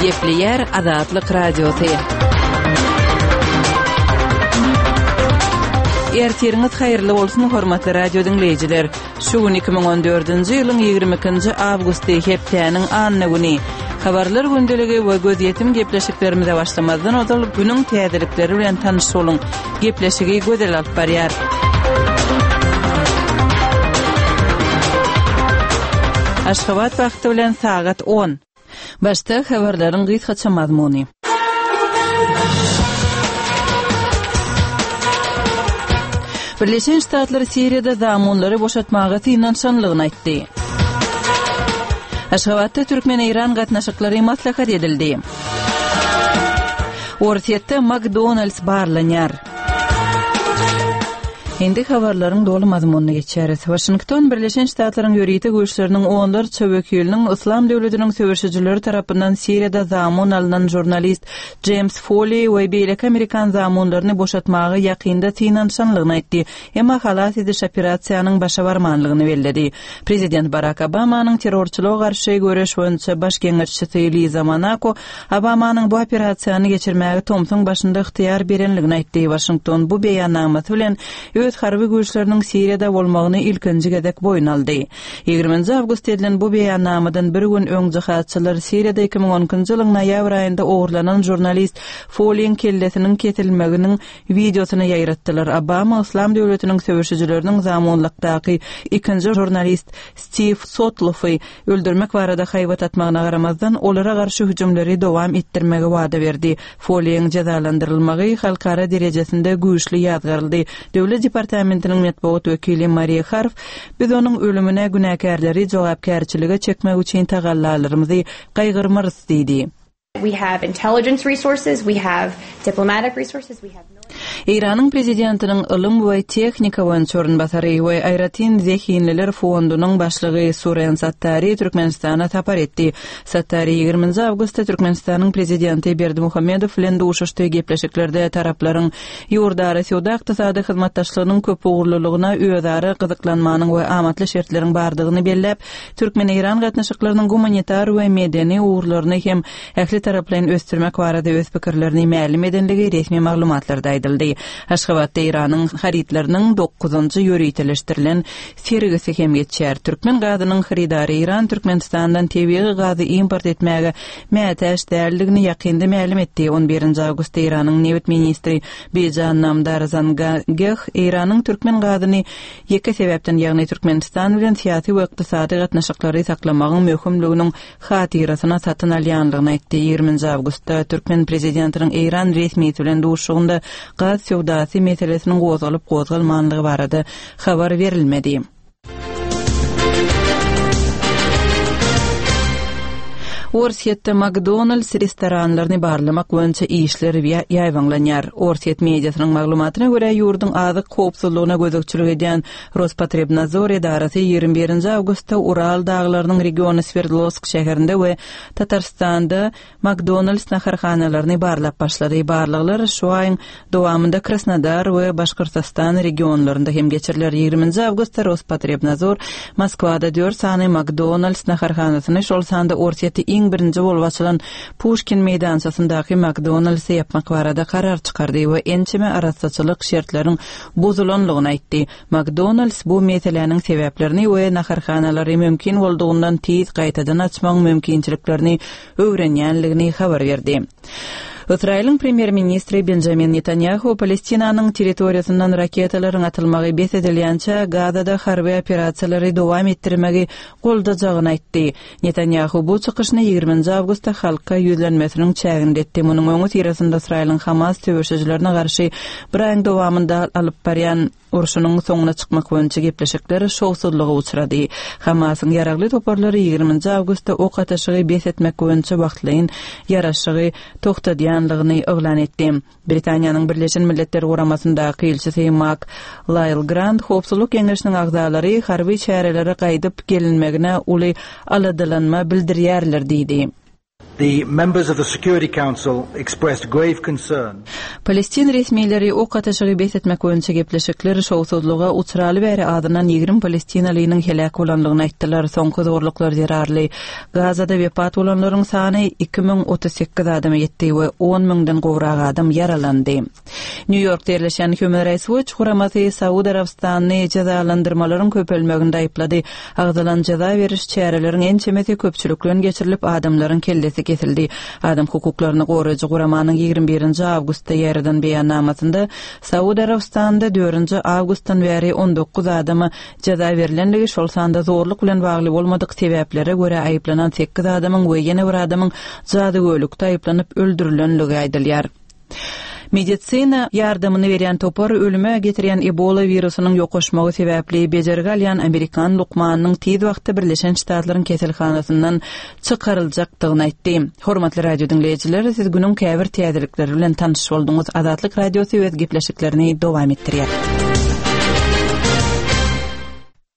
Gepleýär Azatlyk Radiosy. Ertiriňiz haýyrly bolsun, hormatly radio diňleýjiler. Şu gün 2014-nji ýylyň 22-nji awgusty, hepdäniň anna güni. Habarlar gündeligi we gözýetim gepleşiklerimize başlamazdan ozal günüň täzelikleri bilen tanyş boluň. Gepleşigi Gözel alyp barýar. Aşgabat wagty bilen sagat on. Başda habarlaryň gysgaça mazmuny. Birleşen Ştatlar Siriýada zamunlary boşatmaga synanyşanlygyny aýtdy. Aşgabatda türkmen-eýran gatnaşyklary maslahat edildi. Orsýetde McDonald's barlanýar. Indi habarlaryň doly mazmunyna geçýäris. Waşington Birleşen Ştatlaryň ýörite güýçleriniň onlarça wekiliniň Yslam döwletiniň söweşijileri tarapyndan Siriýada zamun alnan žurnalist Jeýms Foli we beýleki amerikan zamunlaryny boşatmaga ýakynda synanyşanlygyny aýtdy, emma halas ediş operasiýanyň başa barmanlygyny belledi. Prezident Barak Obamanyň terrorçylyga garşy göreş boýunça baş geňeşçisi Liza Monako Obamanyň bu operasiýany geçirmäge tomsuň başynda ygtyýar berenligini aýtdy. Waşington bu beýannamasy bilen öz harby güýçleriniň Siriýada bolmagyny ilkinji gezek boýun aldy. Ýigriminji awgustda edilen bu beýannamadan bir gün öň jihadçylar Siriýada 2012-nji ýylyň noýabr aýynda ogurlanan žurnalist Foliň kellesiniň kesilmeginiň wideosyny ýaýratdylar. Obama Yslam döwletiniň söweşijileriniň zamunlykdaky ikinji žurnalist Stiw Sotloffy öldürmek barada haýbat atmagyna garamazdan, olara garşy hüjümleri dowam etdirmegi wada berdi. Foliýiň jezalandyrylmagy halkara derejesinde güýçli ýazgaryldy. Döwlet departamentiniň metbugat wekili Mariýa Harf, Biz onuň ölümine günäkärleri jogapkärçilige çekmek üçin tagallalarymyzy gaýgyrmarys diýdi. We have intelligence resources, we have diplomatic resources, we have Eýranyň prezidentiniň ylym we tehnika boýunça orunbasary we aýratyn zehinliler fondunyň başlygy Suren Sattari Türkmenistana sapar etdi. Sattari ýigriminji awgustda Türkmenistanyň prezidenti Berdimuhamedow bilen duşuşdy. Gepleşiklerde taraplaryň ýurdara söwda-ykdysady hyzmatdaşlygynyň köpugurlylygyna özara gyzyklanmanyň we amatly şertleriň bardygyny belläp, Türkmen-eýran gatnaşyklarynyň gumanitar we medeni ugurlaryny hem ähli taraplaýyn ösdürmek barada öz pikirlerini mälim edenligi resmi maglumatlarda aýdyldy. Aşgabatda Eýranyň harytlarynyň dokuzynjy ýöriteleşdirilen sergisi hem geçýär. Türkmen gazynyň hyrydary Eýran Türkmenistandan tebigy gazy import etmäge mätäç däldigini ýakynda mälim etdi. On birinji awgustda Eýranyň nebit ministri Bijan Namdar Zangeh Eýranyň türkmen gazyny Ýeke sebäpden, ýagny Türkmenistan bilen syýasy we ykdysady gatnaşyklary saklamagyň möhümliginiň hatyrasyna satyn alýanlygyny aýtdy. Ýigriminji awgustda türkmen prezidentiniň eýran resmisi bilen duşuşygynda gaz söwdasy meselesiniň gozgalyp-gozgalmanlygy barada habar berilmedi. Orsýetde McDonald's restoranlaryny barlamak boýunça işler ýaýbaňlanýar. Orsýet mediasynyň maglumatyna görä, ýurduň azyk howpsuzlygyna gözegçilik edýän Rospotrebnadzor edarasy 21-nji awgustda Ural daglarynyň regiony Swerdlowsk şäherinde we Tatarstanda McDonald's naharhanalaryny barlap başlady. Barlaglar şu aýyň dowamynda Krasnodar we Başgyrtystan regionlarynda hem geçiriler. Ýigriminji awgustda Rospotrebnadzor Moskwada dört sany McDonald's naharhanasyny, şol sanda Orsýetde iň birinji bolup açylan Puşkin meýdançasyndaky McDonald's-y ýapmak barada karar çykardy we ençeme arassaçylyk şertleriniň bozulanlygyny aýtdy. McDonald's bu meseläniň sebäplerini we naharhanalary mümkin boldugyndan tiz gaýtadan açmagyň mümkinçiliklerini öwrenýänligini habar berdi. Ysraýylyň premýer-ministri Benjamin Netanýahu Palestinanyň territoriýasyndan raketalaryň atylmagy bes edilýänçä Gazada harby operasiýalary dowam etdirmegi goldajagyny aýtdy. Netanýahu bu çykyşyny ýigriminji awgustda halka ýüzlenmesiniň çäginde etdi. Munuň öňüsyrasynda Ysraýylyň Hamas söweşijilerine garşy bir aýyň dowamynda alyp barýan urşunyň soňuna çykmak boýunça gepleşikler şowsuzlyga uçrady. Hamasyň ýaragly toparlary ýigriminji awgustda ok atyşygy bes etmek boýunça wagtlaýyn ýaraşygy togtadýanlygyny yglan etdi. Britaniýanyň Birleşen Milletler Guramasyndaky ilçisi Mak Laýl Grant Howpsuzlyk Geňeşiniň agzalary harby çärelere gaýdyp gelinmegine uly aladalanma bildirýärler diýdi. The members of the Security Council expressed grave concern. Palestin resmileri ok atyşygy bes etmek boýunça gepleşikler şowsuzlyga uçraly bäri azyndan 20 palestinalynyň heläk bolandygyny aýtdylar. Soňky zorluklar zerarly Gazada wepat bolanlaryň sany 2038 adama ýetdi we on müňden gowrak adam ýaralandy. Nýu-Ýorkda ýerleşýän Human Rights Watch guramasy Saud Arabystanyny jezalandyrmalaryň köpelmeginde aýyplady. Agzalan jeza beriş çäreleriň ençemesi köpçülikleýin geçirilip, adamlaryň kellesi kesildi. Adam hukuklaryny goraýjy guramanyň 21-nji awgustda ýaýradan beýannamasynda Saud Arabystanynda dördünji awgustdan bäri 19 adama jeza berlendigi, şol sanda zorluk bilen bagly bolmadyk sebäplere görä aýyplanan sekiz adamyň we ýene bir adamyň jadygöýlükde aýyplanyp öldürilenligi aýdylýar. Medisina ýardamyny berýän topar ölüme getirýän Ebola wirusynyň ýokaşmagy sebäpli bejergi alýan amerikan lukmanynyň tiz wagtda Birleşen Ştatlaryň keselhanasyndan çykaryljakdygyny aýtdy. Hormatly radio diňleýjiler, siz günüň käbir täzelikleri bilen tanyş bolduňyz. Azatlyk Radiosy öz gepleşiklerini dowam etdirýär.